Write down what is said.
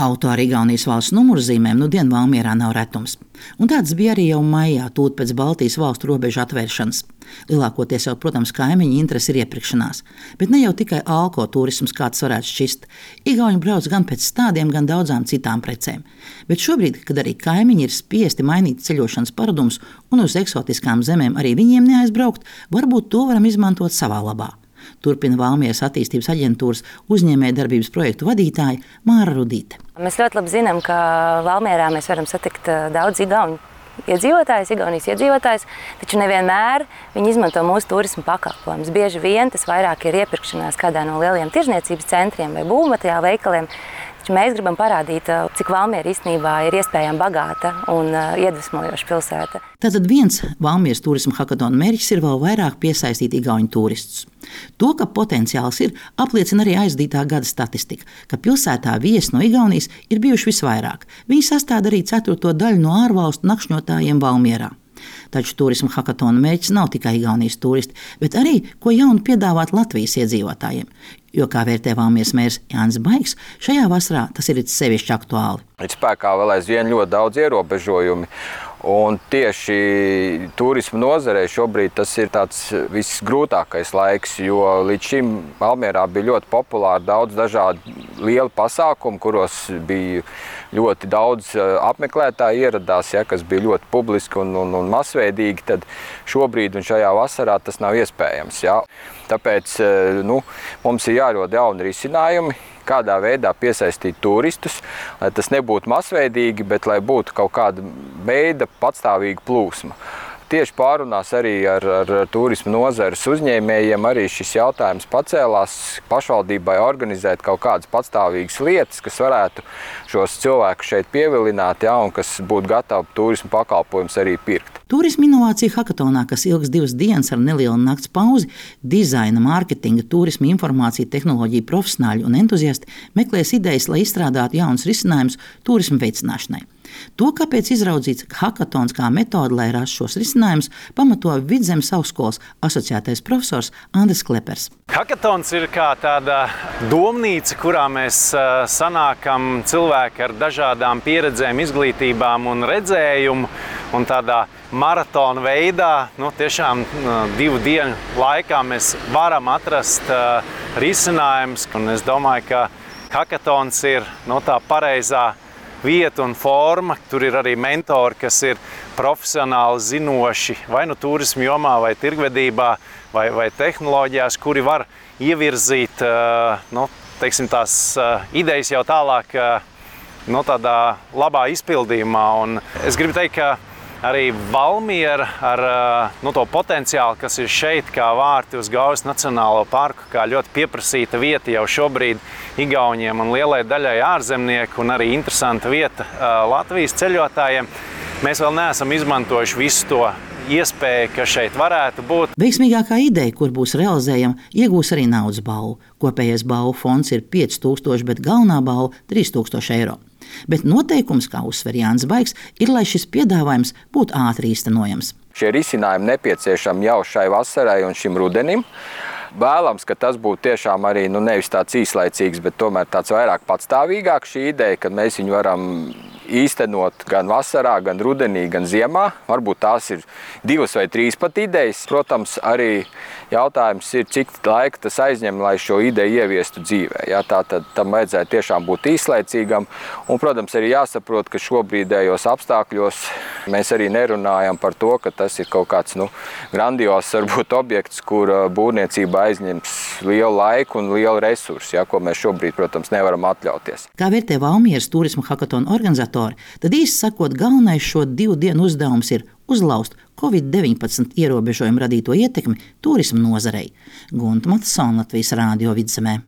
Auto ar Igaunijas valsts numurzīmēm nudien Valmierā nav retums. Un tāds bija arī jau maijā, tūlīt pēc Baltijas valstu robežu atvēršanas. Lielākoties jau, protams, kaimiņu interesi ir iepirkšanās. Bet ne jau tikai alkoturisms, kāds varētu šķist. Igauņi brauc gan pēc stādiem, gan daudzām citām precēm. Bet šobrīd, kad arī kaimiņi ir spiesti mainīt ceļošanas paradumus un uz eksotiskām zemēm arī viņiem neaizbraukt, varbūt to varam izmantot savā labā. Turpina Valmieras attīstības aģentūras uzņēmējdarbības projektu vadītāja Māra Rudīte. Mēs ļoti labi zinām, ka Valmierā mēs varam satikt daudz igauņu Igaunijas iedzīvotājus, taču nevienmēr viņi izmanto mūsu turismu pakalpojumus. Bieži vien tas vairāk ir iepirkšanās kādā no lieliem tirzniecības centriem vai būvmateriālu veikaliem. Taču mēs gribam parādīt, cik Valmiera īstenībā ir iespējami bagāta un iedvesmojoša pilsēta. Tātad viens Valmieras turisma hakatona mērķis ir vēl vairāk piesaistīt igauņu turistus. To, ka potenciāls ir, apliecina arī aizdītā gada statistika, ka pilsētā viesi no Igaunijas ir bijuši visvairāk. Viņi sastāda arī 4. daļu no ārvalstu nakšņotājiem Valmierā. Taču turisma hakatona mērķis nav tikai Igaunijas turisti, bet arī, ko jaunu piedāvāt Latvijas iedzīvotājiem. Jo, kā vērtē Valmieras mērs Jānis Baigs, šajā vasarā tas ir sevišķi aktuāli. Ir spēkā vēl aizvien ļoti daudz ierobežojumi. Un tieši turisma nozarei šobrīd tas ir tāds visgrūtākais laiks, jo līdz šim Valmierā bija ļoti populāri daudz dažādu lielu pasākumu, kuros bija ļoti daudz apmeklētāji ieradās, kas bija ļoti publiski un masveidīgi, tad šobrīd un šajā vasarā tas nav iespējams. Tāpēc mums ir jārod jauni risinājumi, kādā veidā piesaistīt turistus, lai tas nebūtu masveidīgi, bet lai būtu kaut kāda veida patstāvīga plūsma. Tieši pārunās arī ar turisma nozares uzņēmējiem arī šis jautājums pacēlās pašvaldībai organizēt kaut kādas patstāvīgas lietas, kas varētu šos cilvēkus šeit pievilināt, un kas būtu gatavi turisma pakalpojumus arī pirkt. Turisma inovācija hakatonā, kas ilgs 2 dienas ar nelielu nakts pauzi, dizaina, mārketinga, turisma informācija, tehnoloģija profesionāļi un entuziasti meklēs idejas, lai izstrādātu jaunus risinājumus turisma veicināšanai. To, kāpēc izraudzīts hakatons kā metode, lai rastu šos risinājumus, pamato Vidzemes augstskolas asociētais profesors Andris Klepers. Hakatons ir kā tāda domnīca, kurā mēs sanākam cilvēki ar dažādām pieredzēm, izglītībām un redzējumu. Un tādā maratona veidā, tiešām 2 dienu laikā mēs varam atrast risinājumus. Un es domāju, ka hakatons ir tā pareizā vieta un forma. Tur ir arī mentori, kas ir profesionāli zinoši vai turismu jomā, vai tirgvedībā, vai tehnoloģijās, kuri var ievirzīt tās idejas jau tālāk tādā labā izpildījumā. Un es gribu teikt, ka arī Valmiera ar to potenciālu, kas ir šeit, kā vārti uz Gaujas Nacionālo parku, kā ļoti pieprasīta vieta jau šobrīd igauņiem un lielai daļai ārzemnieku, un arī interesanta vieta Latvijas ceļotājiem. Mēs vēl neesam izmantojuši visu to iespēju, kas šeit varētu būt. Veiksmīgākā ideja, kur būs realizējama, iegūs arī naudas balvu. Kopējais balvu fonds ir 5000, bet galvenā balva 3000 eiro. Bet noteikums, kā uzsver Jānis Baigs, ir, lai šis piedāvājums būtu ātri īstenojams. Šie risinājumi nepieciešami jau šai vasarai un šim rudenim. Vēlams, ka tas būtu tiešām arī nevis tāds īslaicīgs, bet tomēr tāds vairāk patstāvīgāk šī ideja, kad mēs viņu varam īstenot gan vasarā, gan rudenī, gan ziemā. Varbūt tās ir 2 vai 3 pat idejas. Protams, arī jautājums ir, cik laika tas aizņem, lai šo ideju ieviestu dzīvē. Tātad tam vajadzētu tiešām būt īslaicīgam. Un, protams, arī jāsaprot, ka šobrīdējos apstākļos mēs arī nerunājam par to, ka tas ir kaut kāds grandios varbūt objekts, kur būvniecība aizņems lielu laiku un lielu resursu, ko mēs šobrīd, protams, nevaram atļauties. Kā vērtē Valmieras turisma hakatona organizatori, tad īsti sakot, galvenais šo 2 dienu uzdevums ir uzlauzt Covid-19 ierobežojumu radīto ietekmi turisma nozarei. Gunta Matsona, Latvijas Rādio Vidzemē.